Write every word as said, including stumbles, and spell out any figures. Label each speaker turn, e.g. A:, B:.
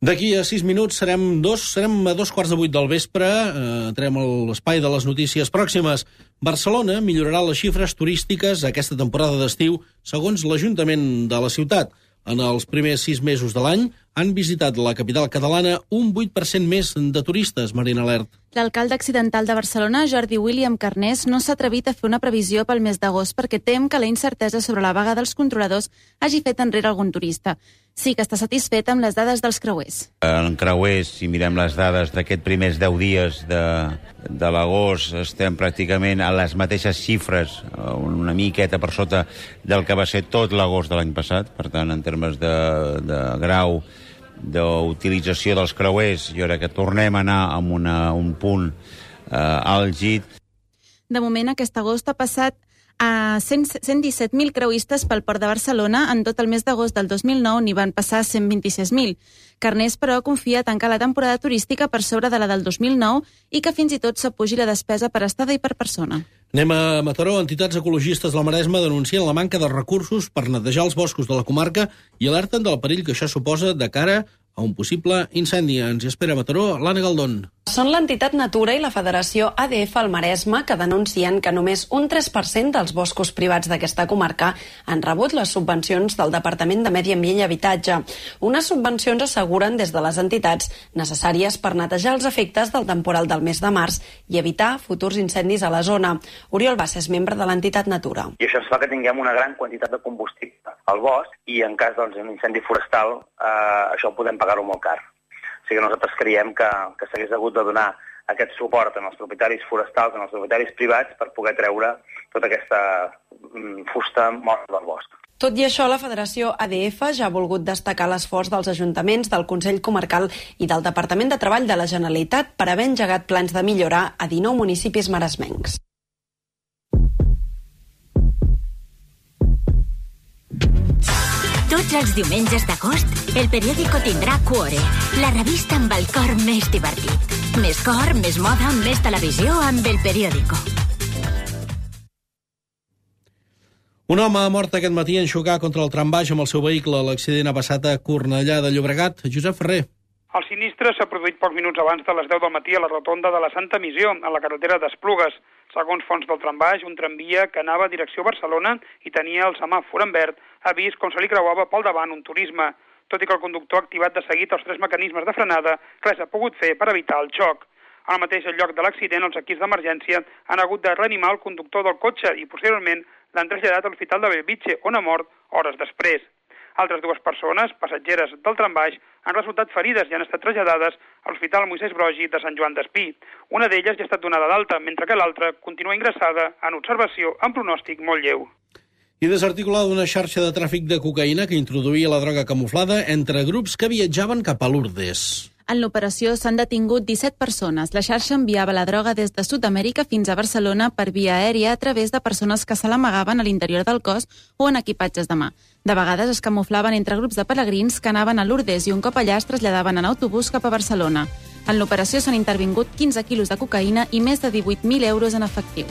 A: D'aquí a sis minuts serem dos, serem a dos quarts de vuit del vespre, eh, entrem a l'espai de les notícies pròximes. Barcelona millorarà les xifres turístiques aquesta temporada d'estiu, segons l'Ajuntament de la ciutat. En els primers sis mesos de l'any han visitat la capital catalana un vuit per cent més de turistes, Marina Lert.
B: L'alcalde accidental de Barcelona, Jordi William Carnés, no s'ha atrevit a fer una previsió pel mes d'agost perquè tem que la incertesa sobre la vaga dels controladors hagi fet enrere algun turista. Sí que està satisfet amb les dades dels creuers.
C: En creuers, si mirem les dades d'aquests primers deu dies de, de l'agost, estem pràcticament a les mateixes xifres, una miqueta per sota del que va ser tot l'agost de l'any passat. Per tant, en termes de, de grau d'utilització dels creuers, jo crec que tornem a anar amb una, un punt eh, àlgid.
B: De moment, aquest agost ha passat a cent disset mil creuistes pel port de Barcelona. En tot el mes d'agost del dos mil nou n'hi van passar cent vint-i-sis mil. Carnés, però, confia tancar la temporada turística per sobre de la del dos mil nou i que fins i tot s'apugi la despesa per estada i per persona.
A: Anem a Mataró. Entitats ecologistes de la Maresma denuncien la manca de recursos per netejar els boscos de la comarca i alerten del perill que això suposa de cara a un possible incendi. Ens hi espera a Mataró, l'Anna Galdón.
D: Són l'entitat Natura i la Federació A D F al Maresme que denuncien que només un tres per cent dels boscos privats d'aquesta comarca han rebut les subvencions del Departament de Medi Ambient i Habitatge. Unes subvencions, asseguren des de les entitats, necessàries per netejar els efectes del temporal del mes de març i evitar futurs incendis a la zona. Oriol Bassa és membre de l'entitat Natura.
E: I això ens fa que tinguem una gran quantitat de combustible al bosc i en cas d'un doncs, incendi forestal eh, això ho podem pagar-ho molt car. O sigui que nosaltres creiem que, que s'hagués hagut de donar aquest suport als propietaris forestals, als propietaris privats, per poder treure tota aquesta mm, fusta morta del bosc.
D: Tot i això, la Federació A D F ja ha volgut destacar l'esforç dels ajuntaments, del Consell Comarcal i del Departament de Treball de la Generalitat per haver engegat plans de millora a dinou municipis maresmencs.
F: Tots els diumenges d'agost, el periòdico tindrà Cuore, la revista amb el cor més divertit. Més cor, més moda, més televisió amb el periòdico.
A: Un home ha mort aquest matí en xocar contra el trambaix amb el seu vehicle. L'accident ha passat a Cornellà de Llobregat. Josep Ferrer.
G: El sinistre s'ha produït pocs minuts abans de les deu del matí a la rotonda de la Santa Missió, a la carretera d'Esplugues. Segons fonts del trambaix, un tramvia que anava a direcció Barcelona i tenia el semàfor en verd ha vist com se li creuava pel davant un turisme. Tot i que el conductor ha activat de seguit els tres mecanismes de frenada, res ha pogut fer per evitar el xoc. Al mateix lloc de l'accident, els equips d'emergència han hagut de reanimar el conductor del cotxe i posteriorment l'han traslladat a l'Hospital de Bellvitge, on ha mort hores després. Altres dues persones, passatgeres del trambaix, han resultat ferides i han estat traslladades a l'Hospital Moisès Broggi de Sant Joan d'Espí. Una d'elles ja ha estat donada d'alta, mentre que l'altra continua ingressada en observació amb pronòstic molt lleu.
A: I desarticulada una xarxa de tràfic de cocaïna que introduïa la droga camuflada entre grups que viatjaven cap a Lourdes.
B: En l'operació s'han detingut disset persones. La xarxa enviava la droga des de Sud-amèrica fins a Barcelona per via aèria a través de persones que se l'amagaven a l'interior del cos o en equipatges de mà. De vegades es camuflaven entre grups de pelegrins que anaven a Lourdes i un cop allà es traslladaven en autobús cap a Barcelona. En l'operació s'han intervingut quinze quilos de cocaïna i més de divuit mil euros en efectiu.